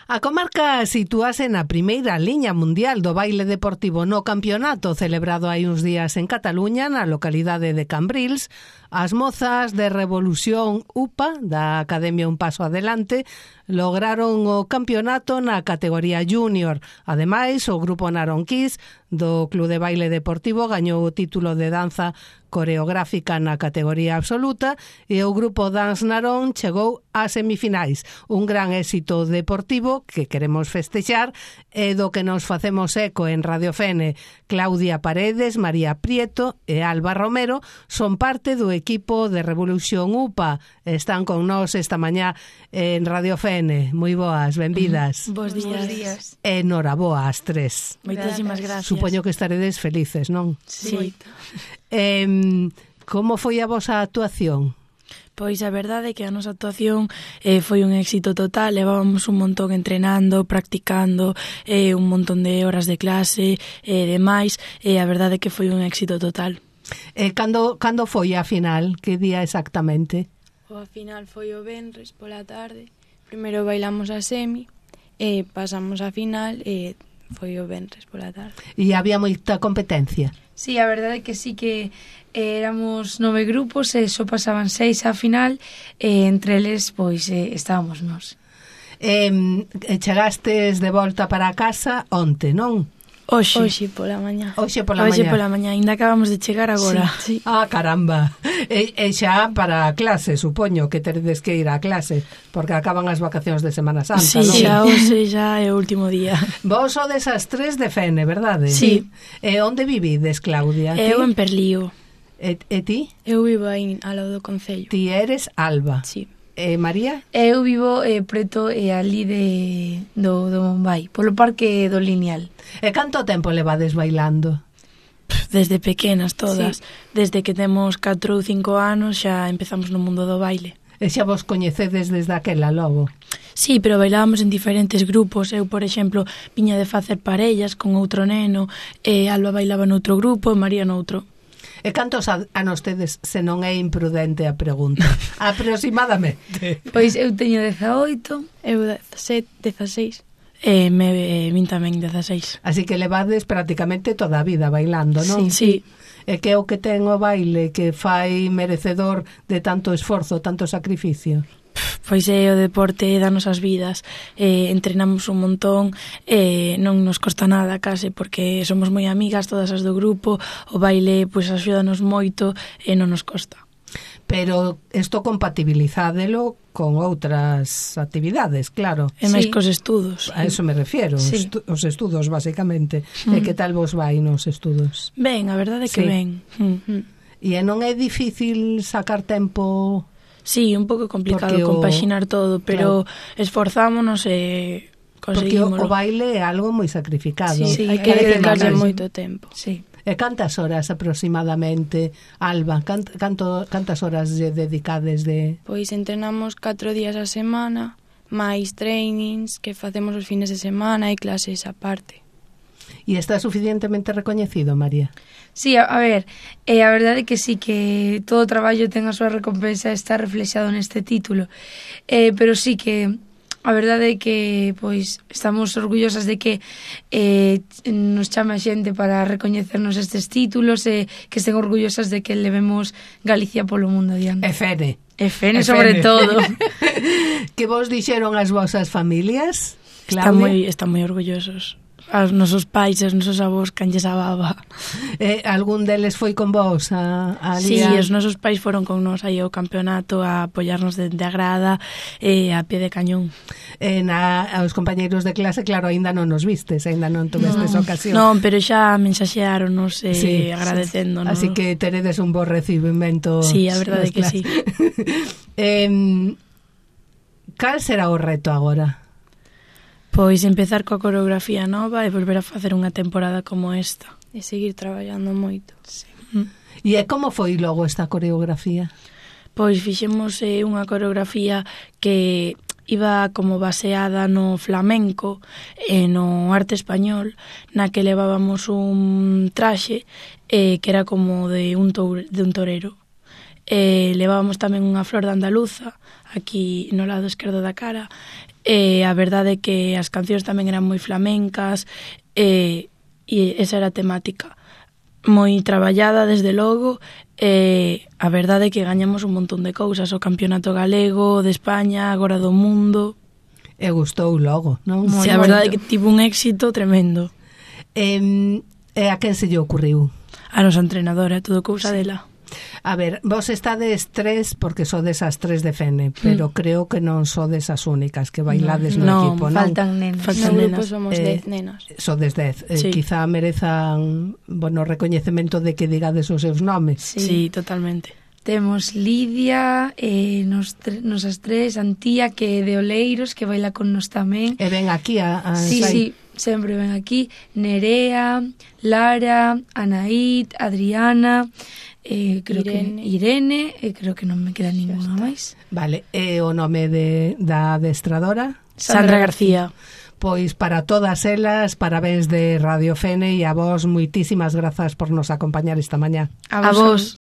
A comarca sitúase na primeira liña mundial do baile deportivo no campeonato celebrado hai uns días en Cataluña, na localidade de Cambrils. As mozas de Revolución UPA, da Academia Un Paso Adelante, lograron o campeonato na categoría júnior. Ademais, o grupo Naronquís do Club de Baile Deportivo gañou o título de danza coreográfica na categoría absoluta e o grupo Dance Narón chegou ás semifinais. Un gran éxito deportivo que queremos festexar e do que nos facemos eco en Radio Fene. Claudia Paredes, María Prieto e Alba Romero son parte do equipo de Revolución UPA. Están con nós esta mañá en Radio Fene. Moi boas, benvidas. Bos días. E noraboa ás tres. Moitísimas gracias. Supoño que estaredes felices, non? Sí. Como foi a vosa actuación? Pois a verdade é que a nosa actuación foi un éxito total. Levábamos un montón entrenando, practicando, un montón de horas de clase e demais, e a verdade é que foi un éxito total. Cando foi a final? Que día exactamente? A final foi o venres pola tarde. Primeiro bailamos a semi e pasamos a final e foi o venres pola tarde. E había moita competencia? Sí, a verdade é que sí que éramos 9 grupos e só pasaban 6 á final e entre eles pois estábamos nós. Chegastes de volta para a casa onte, non? Hoxe pola mañá. Hoxe pola mañá, ainda acabamos de chegar agora. Sí. Ah, caramba. E xa para a clase, supoño que teredes que ir á clase, porque acaban as vacacións de Semana Santa, sí, non? Sí, xa hoxe xa é o último día. Vos sodes as tres de Fene, verdade? Sí. E onde vivides, Claudia? Eu en Perlío. E ti? Eu vivo aí ao lado do concello. Ti eres Alba. Sí. María? Eu vivo preto ali do Bombay, polo parque do Lineal. E canto tempo levades bailando? Desde pequenas todas. Sí. Desde que temos 4 ou 5 anos xa empezamos no mundo do baile. E xa vos coñecedes desde aquela logo? Sí, pero bailábamos en diferentes grupos. Eu, por exemplo, viña de facer parellas con outro neno, e Alba bailaba noutro grupo e María noutro. E cantos anos tedes, se non é imprudente a pregunta? Aproximadamente. Pois eu teño 18. Eu 17, 16. Vin tamén 16. Así que levades prácticamente toda a vida bailando, non? Sí. E que é o que ten o baile que fai merecedor de tanto esforzo, tanto sacrificio? Pois é o deporte danos as vidas, entrenamos un montón, non nos costa nada case, porque somos moi amigas todas as do grupo, o baile pois axúdanos moito e non nos costa. Pero isto compatibilizádelo con outras actividades, claro. E máis cos estudos. A eso me refiero, sí. Os estudos, basicamente. E que tal vos vai nos estudos? Ben, a verdade é que ben. E non é difícil sacar tempo... Sí, un pouco complicado compaxinar todo, pero esforzámonos e conseguímoslo. Porque o baile é algo moi sacrificado. Sí, hai que dedicarle moito tempo. Sí. E cantas horas aproximadamente, Alba? Cantas horas lle dedicades de...? Pois entrenamos 4 días a semana, máis trainings que facemos os fines de semana e clases aparte. E está suficientemente recoñecido, María? Sí, a ver, a verdade é que sí, que todo o traballo ten a súa recompensa, está reflexado neste título, pero sí que a verdade é que pois estamos orgullosas de que nos chame a xente para recoñecernos estes títulos e que estén orgullosas de que levemos Galicia polo mundo adiante. E Fene. E Fene sobre todo. Que vos dixeron as vosas familias, Claudia? Están moi orgullosos. Aos nosos pais e os nosos avós canlles a baba. Algún deles foi con vos a Sí, os nosos pais foron con nós aí ao campeonato a apoiarnos dende a grada e a pie de cañón. Aos compañeiros de clase, claro, aínda non nos vistes, aínda non tuvestes ocasión. Non, pero xa mensaxearonos agradecéndonos. Así que teredes un bo recibimento. Sí, a verdade que sí. Cal será o reto agora? Pois empezar coa coreografía nova e volver a facer unha temporada como esta. E seguir traballando moito. Sí. E como foi logo esta coreografía? Pois fixemos unha coreografía que iba como baseada no flamenco e no arte español, na que levábamos un traxe que era como de un torero. Levábamos tamén unha flor de andaluza aquí no lado esquerdo da cara A verdade é que as cancións tamén eran moi flamencas, e esa era a temática. Moi traballada, desde logo, a verdade é que gañamos un montón de cousas, o campeonato galego, de España, agora do mundo. E gustou logo, non? Si, a verdade é que tivo un éxito tremendo. E a quen se lle ocurriu? A nosa entrenadora, todo cousa dela. A ver, vos estades 3 porque sodes as 3 de Fene, pero creo que non sodes as únicas que bailades no equipo, non? Faltan nenas. No grupo somos 10 nenas. Sodes 10. Sí. Quizá merezan, recoñecemento de que digades os seus nomes. Sí, totalmente. Temos Lidia, nosas 3, Antía, que é de Oleiros, que baila con nos tamén. E ven aquí a Sí, sempre ven aquí. Nerea, Lara, Anaíd, Adriana, creo Irene, creo que non me queda ninguna máis. Vale, e o nome da adestradora? Sandra García. Pois para todas elas, parabéns de Radio Fene, e a vos moitísimas grazas por nos acompañar esta mañá. A vos.